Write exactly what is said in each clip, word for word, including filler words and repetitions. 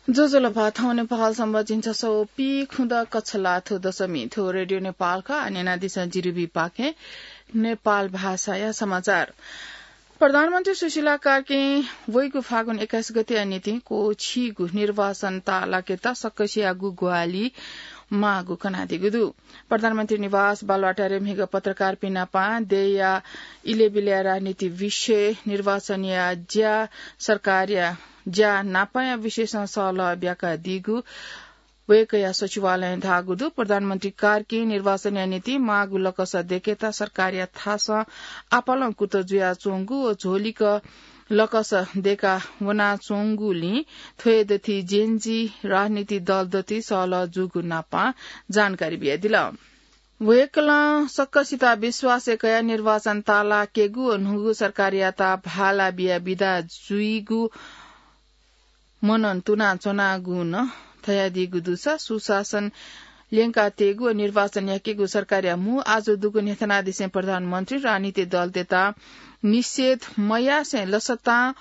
ज्वजलपा, थौं नेपाल संवत झिंछसः व पीखुदँ कक्षलाथु दशमी। थ्व रेडियो नेपाल खः। आः न्यनादिसँ जिरिबी पाखें नेपाल भाषाया समाचार। प्रधानमन्त्री सुशीला कार्कीं वइगु फागुन एक्काइस गतेया निंतिं क्वःछिइगु निर्वाचन ताःलाकेत सकसियागु ग्वाहालि माःगु कनादीगु दु। प्रधानमन्त्री निवास बालुवाटारय् म्हिगः पत्रकारपिं नाप देय्‌या इलय्‌बिलय्‌या राजनीति विषय, निर्वाचनया ज्या, सरकारया ज्या नापया विषयसं सहलह ब्याकादीगु वय्‌कःया सचिवालयं धाःगु दु। प्रधानमन्त्री कार्कीं निर्वाचनया निंतिं माःगु लकस दय्‌केत सरकारया थासं आपालं कुतः जुयाच्वंगु व झ्वलिक लकस दय्‌का वनाच्वंगुलिं थ्व हे दथुइ जेएनजी राजनीति दल दथुइ सहलह जूगु नाप जानकारी बियादिल। वय्‌कलं सकसित विश्वासय् कयाः निर्वाचन ताःलाकेगु व न्हूगु सरकारयात भाला बियाः बिदा जुइगु मनन तुनाच्वनागु नं धयादीगु दुसा सुशासन ल्यंकातयेगु व निर्वाचन याकेगु सरकारया मू आजु दुगु न्ह्यथनादिसें प्रधानमन्त्री राजनीति दलतय्‌त निषेध मयासें लसतां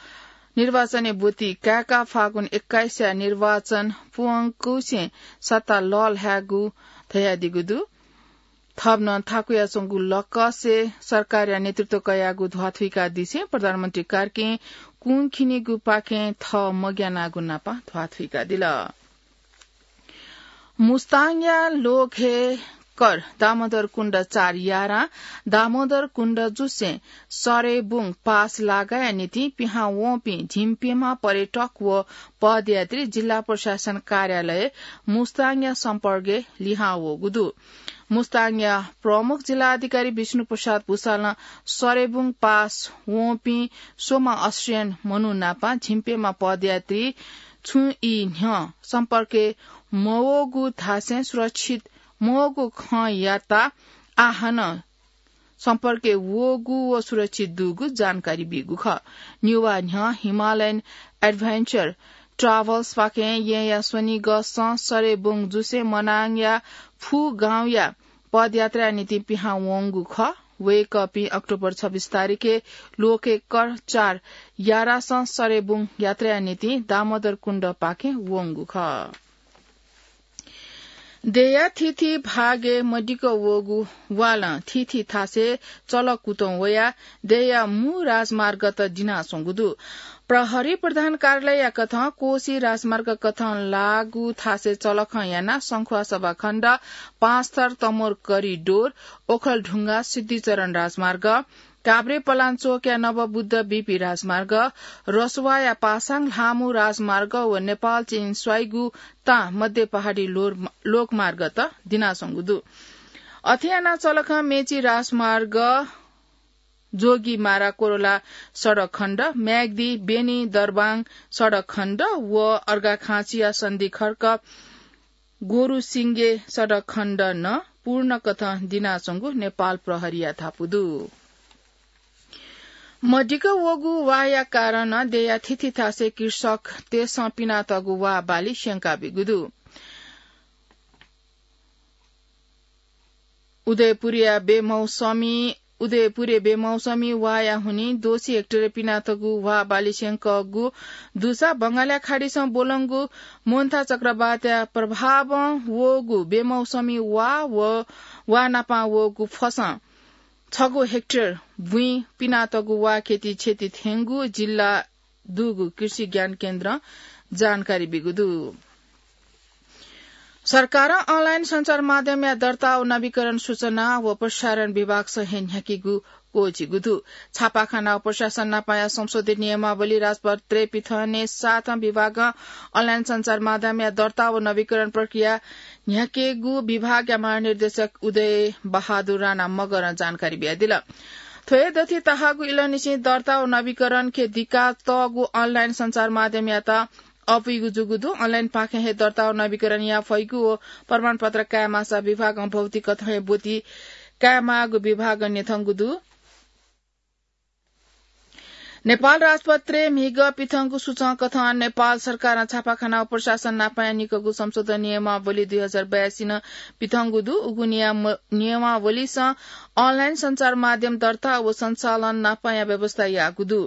निर्वाचनय् ब्वति काय्‌काः फागुन एक्काइसया निर्वाचन पूवंकुसें सत्ता लःल्हायेगु धयादीगु दु। थप नं थाकुयाच्वंगु लकसय् सरकारया नेतृत्व कयागु ध्वाथुइकादिसें प्रधानमन्त्री कार्कीं कुंखिनिगुपाखें थः मग्यानागु नाप ध्वाथुइकादिल। मुस्ताङया लोकहे कर दामोदर कुण्ड चार यारां दामोदर कुण्ड जुसें सरेबुङ पास लागाया निंतिं पिहां वंपिं झिंप्यम्ह पर्यटक व पदयात्री जिल्ला प्रशासन कार्यालय मुस्ताङया सम्पर्कय् लिहां वःगु दु। मुस्ताङया प्रमुख जिल्ला अधिकारी विष्णु प्रसाद भुसालं सरेबुङ पास वंपिं स्वम्ह अस्ट्रेलियन मनू नाप झिंप्यम्ह पदयात्री छुं ई न्ह्यः सम्पर्कय् मवःगु धासें सुरक्षित मवःगु खँ यात। आः हानं सम्पर्कय् वःगु व सुरक्षित दुगु जानकारी बीगु खः। निवा न्ह्यः हिमालयन एडभेन्चर ट्राभल्सपाखें येँया स्वनिगसं सरेबुङ जुसें मनाङया फु गाउँया पदयात्राया निंतिं पिहां वंगु खः। वय्‌कःपिं अक्टोबर छब्बीस तारिखय् लोकहे कर चार यारासं सरेबुङ यात्राया निंतिं दामोदर कुण्डपाखें वंगु खः। देय्‌या थीथी भागय् मदिक्क वःगु वालं थीथी थासय् चलक कुतुं वयाः देय्‌या मू राजमार्गत दिनाच्वंगु दु। प्रहरी प्रधान कार्यालयया कथं कोशी राजमार्ग कथं लाःगु थासय् चलखं यानाः संख्वासभा खण्ड, पाँचथर तमोर करिडोर, ओखलढुङ्गा सिद्धिचरण राजमार्ग, काभ्रे पलाञ्चोकया नवबुद्ध बीपी राजमार्ग, रसुवाया पासाङ ल्हामु राजमार्ग व नेपाल चीन स्वाइगु तां मध्य पहाडी लोर-, लोकमार्गत दिनाच्वंगु दु। अथे यानाः चलखं मेची राजमार्ग, जोगीमारा कोरोला सडक खण्ड, म्याग्दी बेनी दरबाङ सडक खण्ड व अर्घाखाँचीया सन्धिखर्क गोरुसिंगे सडक खण्ड नं पूर्ण कथं दिनाच्वंगु नेपाल प्रहरीया धापू दु। मदिक्क वःगु वाया कारणं देय्‌या थीथी थासय् कृषकतय्‌सं पिनातःगु वा बाली स्यंकाबीगु दु। उदयपुरया बेमौसमी, उदयपुरय् बेमौसमी वाया हुनिं दोसी हेक्टरय् पिनातःगु वा बाली स्यंकःगु दुसा बंगालया खाडीसं ब्वलंगु मोन्था चक्रवातया प्रभावं वःगु बेमौसमी वा व वा नापां वःगु फसं छगू हेक्टर भुइँ पिनातःगु वा खेती क्षति थ्यंगु जिल्ला दुगु कृषि ज्ञान केन्द्रं जानकारी बीगु दु। सरकारं अनलाइन सञ्चार माध्यमया दर्ता व नवीकरण सूचना व प्रसारण विभागसं हे न्ह्याकीगु क्वःछिइगु दु। छापाखाना व प्रशासन नापाया संशोधित नियमावली राजपत्रे पिथने साथं विभागं अनलाइन सञ्चार माध्यमया दर्ता व नवीकरण प्रक्रिया न्ह्याकेगु विभागया महानिर्देशक उदय बहादुर राणा मगरं जानकारी बियादिल। थ्व हे दथुइ तःहाकःगु इलंनिसें दर्ता व नवीकरणके दिकातःगु अनलाइन सञ्चार माध्यमयात अपुइगु जूगु दु। अनलाइनपाखें हे दर्ता व नवीकरण याये फइगु व प्रमाणपत्र कायेमाःसा विभागं भौतिक कथं हे ब्वति कायेमाःगु विभागं न्यंकूगु दु। नेपाल राजपत्रे म्हिगः पिथंगु सूचं कथं नेपाल सरकारं छापाखाना व प्रशासन नापाया निकःगु संशोधन नियमावली दुई हजार बयासी नं पिथंगु दु। उगु नियम-, नियमावलीसं अनलाइन सञ्चार माध्यम दर्ता व सञ्चालन नापाया व्यवस्था याःगु दु।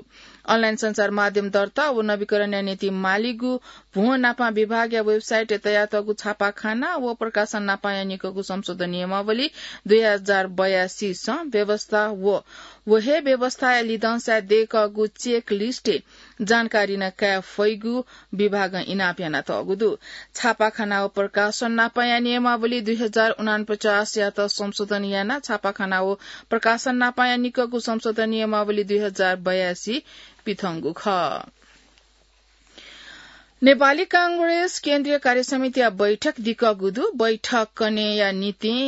अनलाइन सञ्चार माध्यम दर्ता व नवीकरणया निंतिं मालीगु भ्वं नापा विभागया वेबसाइटय् तयातःगु छापाखाना व प्रकाशन नापाया निकःगु संशोधन नियमावली दुई हजार बयासी सं व्यवस्था व व हे व्यवस्थाया लिधंसाय् दयेकःगु चेक लिस्टय् जानकारी नं काये फइगु विभागं इनाप यानातःगु दु। छापाखाना व प्रकाशन नापाया नियमावली दुई हजार उनापचासयात संशोधन यानाः छापाखाना व प्रकाशन नापाया निकःगु संशोधन नियमावली दुई हजार बयासी पिथंगु खः। नेपाली कांग्रेस केन्द्रीय कार्यसमितिया बैठक दिकःगु दु। बैठक कनेया निंतिं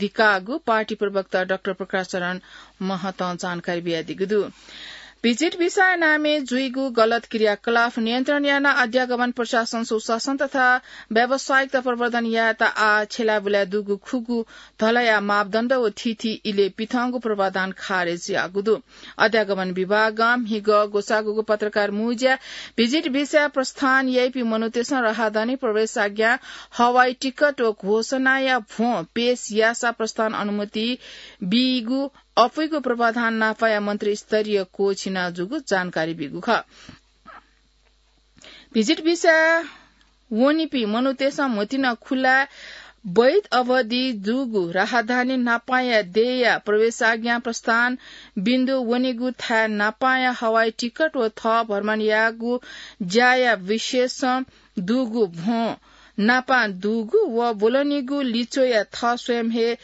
दिकाःगु पार्टी प्रवक्ता डाक्टर प्रकाश शरण महतं जानकारी बियादीगु दु। भिजिट भिसाया नामय् जुइगु गलत क्रियाकलाप नियन्त्रण यानाः अध्यागमन, प्रशासन, सुशासन तथा व्यावसायिकता प्रवर्धन यायेत आः छ्यलाबुलाय् दुगु खुगू धलया मापदण्ड व थीथी इलय् पिथंगु पूर्वाधान खारेज याःगु दु। अध्यागमन विभागं म्हिगः ग्वसाःगुगु पत्रकार मुँज्या भिजिट भिसा प्रस्थान याइपिं मनूतय्‌सं राहदानी, प्रवेशाज्ञा, हवाई टिकट व घोषणाया भ्वं पेश याःसा प्रस्थान अनुमति बीगु अप्वइगु पूर्वाधान नापाया मन्त्रीस्तरीय कोःछिना जूगु जानकारी बीगु खः। भिजिट भिसा वनीपिं मनूतय्‌सं म्हतिना खुला वैध अवधि जूगु राहदानी नापाया देय्‌या प्रवेशाज्ञा, प्रस्थान बिन्दु, वनीगु थाय् नापाया हवाई टिकट व थः भ्रमण याःगु ज्याया विशेषं दुगु भ्वं नापा दुगु व ब्वलनीगु लिच्वया थः स्वयं हे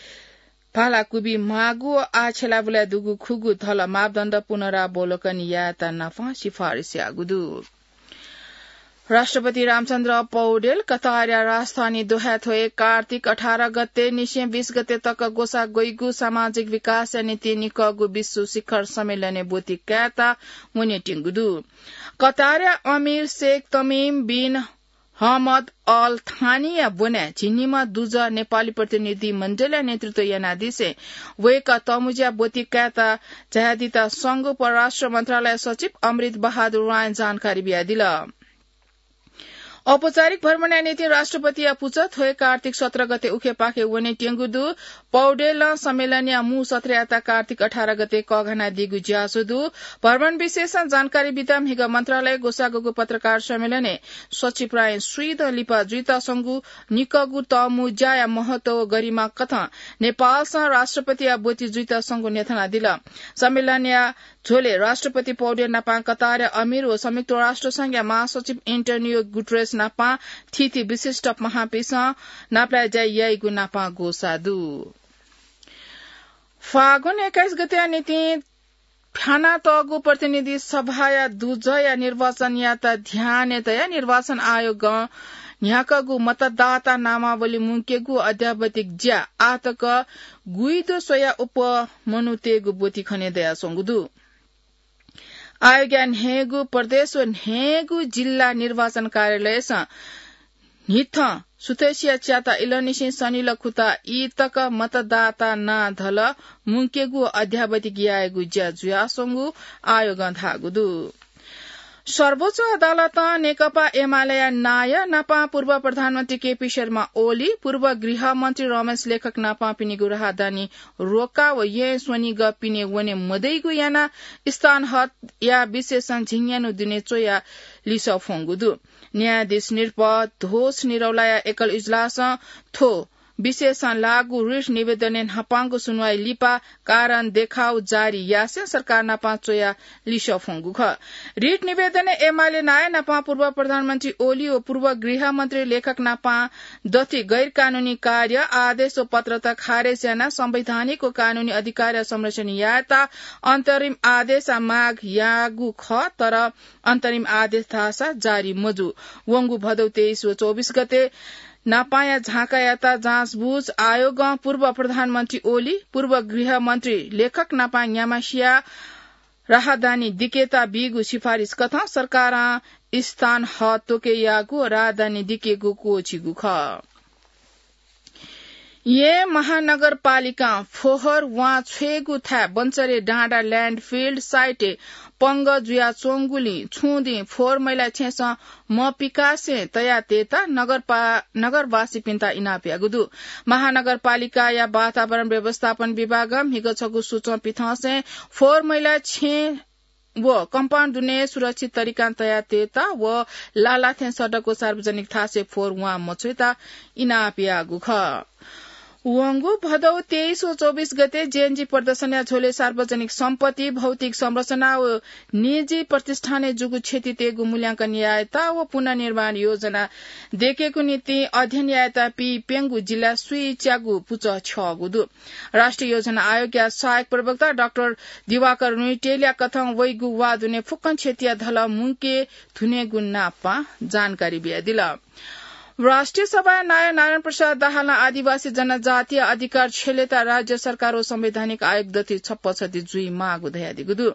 भाला क्वबी माःगु व आः छ्यलाबुलाय् दुगु खुगू धल मापदण्ड पुनरावलोकन यायेत नापं सिफारिस याःगु दु। राष्ट्रपति रामचन्द्र पौडेल कतारया राजधानी दोहाय् थ्व हे कार्तिक अठार गते निसें बीस गते तक ग्वसाः ग्वइगु सामाजिक विकासया निंतिं निकःगु विश्व शिखर सम्मेलनय् ब्वति कायेत वनेत्यंगु दु। कतारया अमीर शेख तमिम बिन हमद अल थानीया ब्वनाय् झिंनिम्ह दुजः नेपाली प्रतिनिधि मण्डलया नेतृत्व यानादिसें वय्‌कः तःमुँज्या ब्वति कायेत झायादीत संघ परराष्ट्र मन्त्रालय सचिव अमृत बहादुर रायं जानकारी बियादिल। औपचारिक भ्रमणया निंतिं राष्ट्रपतिया पुचः थ्व हे कार्तिक सत्र गते उखेपाखे वनेत्यंगु दु। पौडेलं सम्मेलनया मू सत्रयात कार्तिक अठार गते कःघानादीगु ज्याझ्वः दु। भ्रमण विषयसं जानकारी बीत म्हिगः मन्त्रालयय् ग्वसाःगु पत्रकार सम्मेलनय् सचिव रायं स्वीदँ लिपा जुइतःसंगु निकःगु तःमुँज्याया महत्व व गरिमा कथं नेपालसं राष्ट्रपतिया ब्वति जुइतःसंगु न्ह्यथनादिल। सम्मेलनया झ्वलय् राष्ट्रपति पौडेल नापं कतारया अमीर व संयुक्त राष्ट्र संघया महासचिव एन्टोनियो गुटरेस नापं थीथी विशिष्ट पहांपिन्सं नापलाये ज्या याइगु नापं ग्वसाः दु। फागुन एक्काइस गतेया निंतिं फ्यानातःगु प्रतिनिधि सभाया दुजःया निर्वाचनयात ध्यानय् तयाः निर्वाचन आयोगं न्ह्याकःगु मतदाता नामावली मुंकेगु अद्यावधिक ज्या आःतक गुइदँ स्वयाः अप्वः मनूतय्‌गु ब्वति खने दयाच्वंगु दु। आयोगया न्हय्‌गू प्रदेश व न्हय्‌गू जिल्ला निर्वाचन कार्यालयसं न्हिथं सुथसिया च्याता इलंनिसें सनिलः खुता ई तक मतदाता नां धल मुंकेगु अद्यावधिक यायेगु ज्या जुयाच्वंगु आयोगं धाःगु दु। सर्वोच्च अदालतं नेकपा एमालेया नायः नापं पूर्व प्रधानमन्त्री केपी शर्मा ओली, पूर्व गृहमन्त्री रमेश लेखक नापं पिनिगु राहदानी रोका व येँ स्वनिगः पिने वने मदइगु यानाः स्थान हतया विशेषं झिंन्यान्हु दुने च्वयाः लिसः फ्वंगु दु। न्यायाधीश नृप धोष निरौलाया एकल इजलासं थ्व विशेषं लाःगु रिट निवेदनय् न्हापांगु सुनवाई लिपा कारण देखाउ जारी यासें सरकार नापं च्वयाः लिसः फ्वंगु खः। रिट निवेदनय् एमाले नायः नापं पूर्व प्रधानमन्त्री ओली व पूर्व गृहमन्त्री लेखक नापं दथुइ गैरकानूनी कार्य, आदेश व पत्रत खारेज यानाः संवैधानिक व कानूनी अधिकारया संरक्षण यायेत अन्तरिम आदेशया माग याःगु खः, तर अन्तरिम आदेश धाःसा जारी मजू। वंगु भदौ तेइस व चौबिस गते नापांया झाँकायात जाँचबुझ आयोगं पूर्व प्रधानमन्त्री ओली, पूर्व गृहमन्त्री लेखक नापं न्याम्हसिया राहदानी दिकेत बीगु सिफारिस कथं सरकारं स्थान हत त्वके याःगु राहदानी दिकेगु क्वःछिगु खः। येँ महानगरपालिकां फोहोर वां छ्वयेगु थाय् बन्चरे डाँडा ल्यान्डफिल्ड साइटय् पंगः जुयाच्वंगुलिं छुं दिं फोहोर मैला छेँसं मपिकासें तयातयेत नगरपा-, नगरवासीपिन्त इनाप याःगु दु। महानगरपालिकाया वातावरण व्यवस्थापन विभागं म्हिगः छगू सूचं पिथंसें फोहोर मैला छेँ व कम्पाउन्ड दुने सुरक्षित तरिकां तयातयेत व लालाथें सडक व सार्वजनिक थासय् फोहोर वां मछ्वयेत इनाप याःगु खः। वंगु भदौ तेइस व चौबिस गते जेएनजी प्रदर्शनया झ्वलय् सार्वजनिक सम्पत्ति, भौतिक संरचना व निजी प्रतिष्ठानय् जूगु क्षति तयेगु मूल्यांकन यायेत व पुनर्निर्माण योजना दयेकेगु निंतिं अध्ययन यायेत पीप्यंगू जिल्ला स्वीच्यागू पुचः छ्यःगु दु। राष्ट्रिय योजना आयोगया सहायक प्रवक्ता डाक्टर दिवाकर रुइटेलया कथं वइगु वा दुने फुक्कं क्षतिया धलः मुंके धुनेगु नापं जानकारी बियादिल। राष्ट्रिय सभाया नायः नारायण प्रसाद दाहालं आदिवासी जनजातीय अधिकार छ्यलेत राज्य सरकार व संवैधानिक आयोग दथुइ छप्पछति जुइमाःगु धयादीगु दु।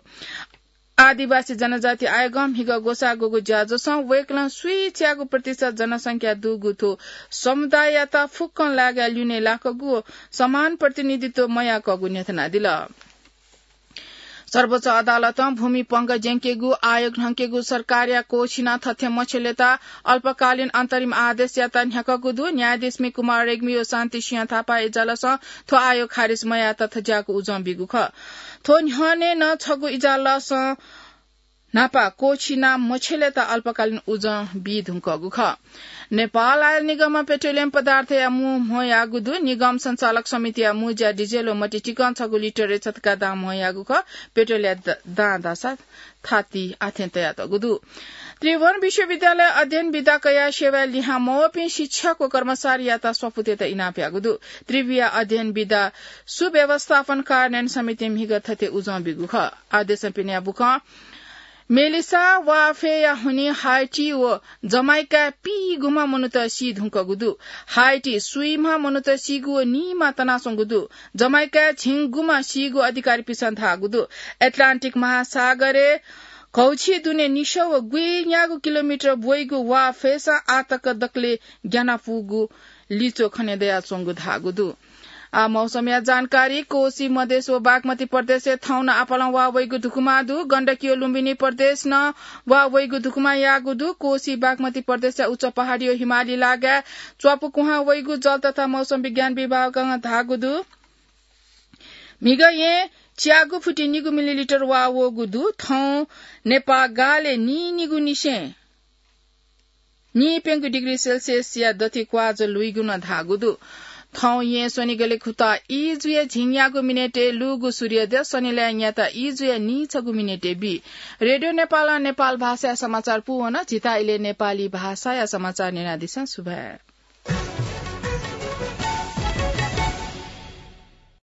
आदिवासी जनजाति आयोगं म्हिगः ग्वसाः ग्वःगु ज्याझ्वलं वय्कलं स्वीच्यागू प्रतिशत जनसंख्या दुगु थ्व समुदाययात फुक्कं लागाय् ल्यूने लाकःगु व समान प्रतिनिधित्व मयाकःगु न्ह्यथनादिल। सर्वोच्च अदालतं भूमि पंगः ज्यंकेगु आयोग न्हंकेगु सरकारया क्वःछिनाः थथे मछ्यलेत अल्पकालीन अन्तरिम आदेशयात न्ह्याकःगु दु। न्यायाधीश मि कुमार रेग्मी व शान्ति सिंह थापाया इजलासं थ्व आयोग खारेज मयायेत थज्याःगु उजं बीगु खः। थ्व न्ह्यःने नं छगू इजलासं न्हापा क्वःछिनाः मछ्यलेत अल्पकालीन उजं बी धुंकःगु खः। नेपाल आयल निगमं पेट्रोलियम पदार्थया मू म्हो याःगु दु। निगम सञ्चालक समितिया मू ज्या डिजेल व मट्टी चिकं छगू लिटरय् छतका दां म्हो याःगु खः। पेट्रोलया द-, दां धाःसा थाति आथें तयातःगु दु। त्रिभुवन विश्वविद्यालय अध्ययन विधा कयाः सेवाय् लिहां मवःपिं शिक्षक व कर्मचारीयात स्वापू तयेत इनाप याःगु दु। त्रिभुया अध्ययन विधा सुव्यवस्थापन कार्यान्वयन समितिं म्हिगः थथे उजं बीगु खः। आदेशं पिने बुखँ मेलिसा वाफेया हुनिं हाइटी व जमाइकाय् पीगुम्ह मनूत सी धुंकूगु दु। हाइटी स्वीम्ह मनूत सीगु व नीम्ह तनाच्वंगु दु। जमाइकाय् झिंगुम्ह सीगु अधिकारीपिन्सं धाःगु दु। एटलान्टिक महासागरय् घौछि दुने निसः व गुइन्यागू किलोमिटर ब्वइगु वाफेसं आःतक दकले ग्यानापुगु लिच्वः खने दयाच्वंगु धाःगु दु। आ, मौसमया जानकारी। कोसी, मधेस व बागमती प्रदेशय् थौं नं आपालं वा वइगु धुकुमा दु। गण्डकी व लुम्बिनी प्रदेश नं वा वइगु धुकुमा याःगु दु। कोसी, बागमती प्रदेशया उच्च पहाडी व हिमाली लागाय् च्वापु कुहां वइगु जल तथा मौसम विज्ञान विभागं धाःगु दु। म्हिगः येँ च्यागू फुति निगू मिलिलिटर वा वःगु दु। थौं नेपाः गालय् नीनिगू निसें नीप्यंगू डिग्री सेल्सियसया दथुइ क्वाःज्वः लुइगु नं धाःगु दु। थौं येँ स्वनिगलय् खुतः ई जुया झिंन्यागू मिनेटय् लूगु सूर्योदय, स्वनिलय् न्यात ई जुया नीछगू मिनेटय् बी। रेडियो नेपालं नेपाल भाषाया समाचार पूवन। झीत इलय् नेपाली भाषाया समाचार न्यनादिसँ। सुभाय्।